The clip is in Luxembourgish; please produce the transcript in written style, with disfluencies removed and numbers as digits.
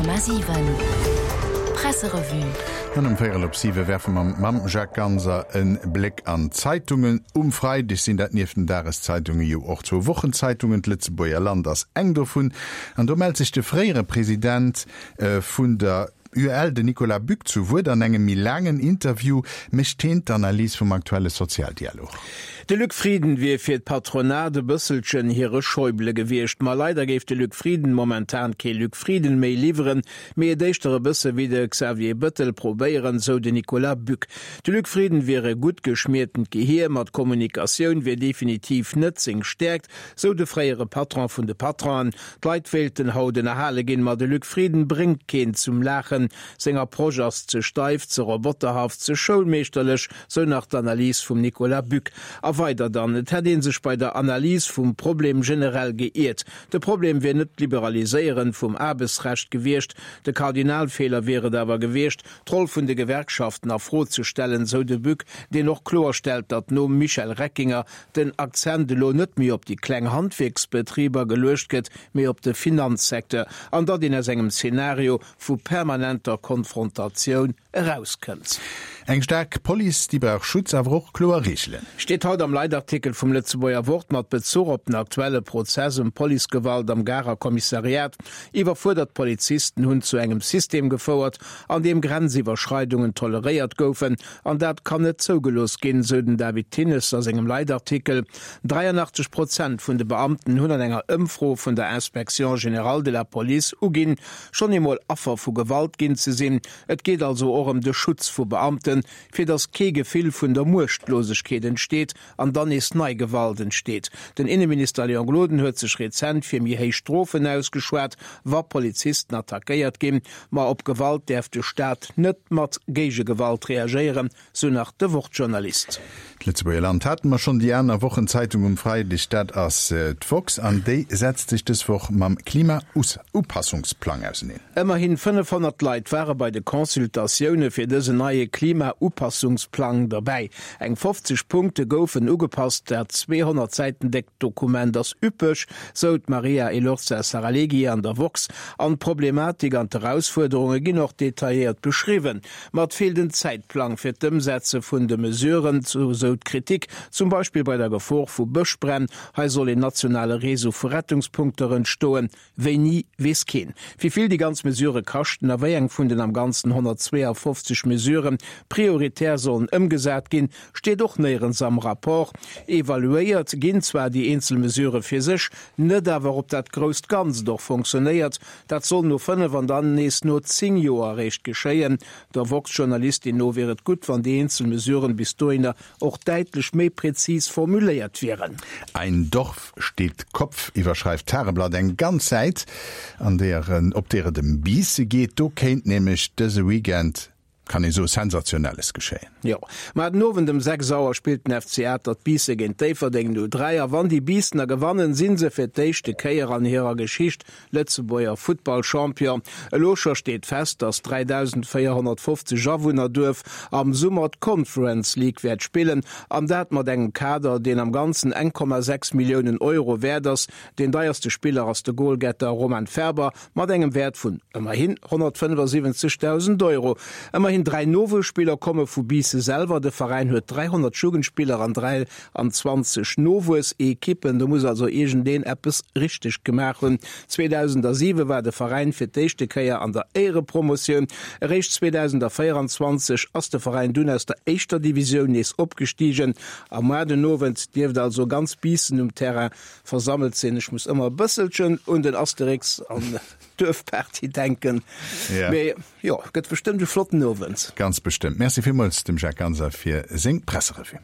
100,7 Presserevue. An um Véierel op siwe werfe mer mam Jacques Ganser e Bléck an d'Zeitungen. Um Freideg sinn dat nieft den Dageszeitunge jo och zwou Wochenzeitungen. D'Lëtzebuerger Land ass eng dovun. An do mellt sech de fréiere President vun der UEL, den Nicolas Buck, zu Wuert. An engem méi laangen Interview mécht heen d'Analys vum aktuelle Sozialdialog. De Luc Frieden wier fir d'Patronat e bësselchen hire Schäuble gewiescht. Ma leider géif de Luc Frieden momentan kee Luc Frieden méi liwweren, mee et éischter e bësse wéi de Xavier Bëttel probéieren, sou de Nicolas Buck. De Luc Frieden wier e gutt geschmiertent Gehier, ma d'Kommunikatioun wier definitiv net seng Stäerkt, sou de fréiere Patron vun de Patronen. D'Leit wéilten haut ënnerhale ginn, ma de Luc Frieden bréngt keen zum Laachen. Seng Approche ass ze steif, ze roboterhaft, ze schoulmeeschterlech, sou nach d'Analys vum Nicolas Buck. A weider dann, et hätt ee sech bei der Analys vum Problem generell geiert. De Problem wier net d'Liberaliséieren vum Aarbechtsrecht gewiescht, de Kardinalfeeler wier et awer gewiescht, d'Roll vun de Gewerkschaften a Fro ze stellen, sou de Buck, deen och kloerstellt, datt nom Michel Reckinger den Akzent elo net méi op déi kleng Handwierksbetriber geluecht gëtt, mee op de Finanzsecteur, an datt een aus engem Zenario vu permanenter Konfrontatioun erauskënnt. Eng staark Police, déi brauch Schutz, awer och kloer Reegelen. Steet haut am Leitartikel vum Lëtzebuerger Wort mat Bezuch op den aktuelle Prozess ëm Policegewalt am Garer Kommissariat. Iwwerfuerdert Polizisten hunn zu engem System gefouert, an deem Grenziwwerschreidungen toleréiert goufen An dat kann net zougelooss ginn, sou den David Thinnes a sengem Leitartikel. 83 Prozent vun de Beamten hunn an enger Ëmfro vun der Inspection générale de la Police uginn, schonn eemol Affer vu Gewalt ginn ze sinn. Et geet also och ëm de Schutz vu Beamten, fir datt kee Gefill vun der Muechtlosegkeet entsteet an dann nees nei Gewalt entsteet. Den Inneminister Léon Gloden huet sech rezent fir méi héich Strofen ausgeschwat, wa Polizisten attackéiert ginn. Ma op Gewalt däerf de Staat net mat Géigegewalt reagéieren, sou nach de Wort-Journalist. D'Lëtzebuerger Land hate mer schonn, déi aner Wochenzeitung um Freideg, dat ass d'woxx an déi setzt sech dës Woch mam Klimaupassungsplang auseneen. Ëmmerhin 500 Leit ware bei de Consultatioune fir dësen neie Klimaupassungsplang derbäi. Eng 50 Punkte goufen ugepasst, dat 200 Säiten déckt Dokument ass üppeg, sou d'Maria Elorza Saralegui an der woxx. An d'Problematik an d'Erausfuerderunge ginn och detailléiert beschriwwen. Ma et feelt en Zäitplang fir d'Ëmsetze vun de Mesuren, sou d'Kritik, zum Beispill bei der Gefor vu Bëschbränn. Hei soll een nationale Réseau vu Rettungspunkter entstoen. Wéini, weess keen. Wéi vill déi ganz Mesurë kaschten a wéi eng vun den am Ganzen 152 Mesurë prioritär sollen ëmgesat ginn, steet och néierens am Rapport. Evaluéiert ginn zwar déi eenzel Mesurë fir sech, net awer ob dat grousst Ganzt och fonctionnéiert. Dat soll no 5 an dann nees no 10 Joer eréischt geschéien. Der woxx-Journalistin no wier et gutt, wann déi eenzel Mesuren bis dohinner och däitlech méi präzis formuléiert wieren. Ein Dorf steht Kopf iwwerschreift d'Tageblatt eng ganz Säit, an deeër op deer et ëm Biisse geet. Do kéint nämlech dëse Weekend, kann ee soen, Sensationelles geschéien. Jo, mar den Owend ëm 6 Auer spillt den FC Atert Biisse géint Déifferdeng 03 a wann déi Biissener gewannen, si se fir d'éischte Kéier an hirer Geschicht Lëtzebuerger Futtballchampion. Elo scho steet fest, datt 3.450 Awunnerduerf am Summer d'Conference League wäert spillen, an dat mat engem Kader, deen am Ganzen 1,6 Milliounen Euro wäert ass. Deen deierste Spiller ass de Goalgetter Roman Ferber mat engem Wäert vun ëmmerhin 175.000 Euro. Ëmmerhin 3 Nowuesspiller komme vu Biissen selwer. De Veräin huet 300 Jugendspiller an 3 An 20 Nowuessekippen, do muss also iergendeen eppes richteg gemaach hunn. 2007 war de Veräin fir d'éischte Kéier an der Éierepromotioun. Eréischt 2024 ass de Veräin dunn aus der éischter Divisioun nees opgestigen. A muar den Owend dierft also ganz Biissen um Terrain versammelt sinn. Ech muss ëmmer e bësselchen un den Asterix an d'Duerfparty denken. Mee jo, gëtt bestëmmt e flotten Owend. Ganz bestëmmt. Merci villmools dem Jacques Ganser fir seng Presserevue.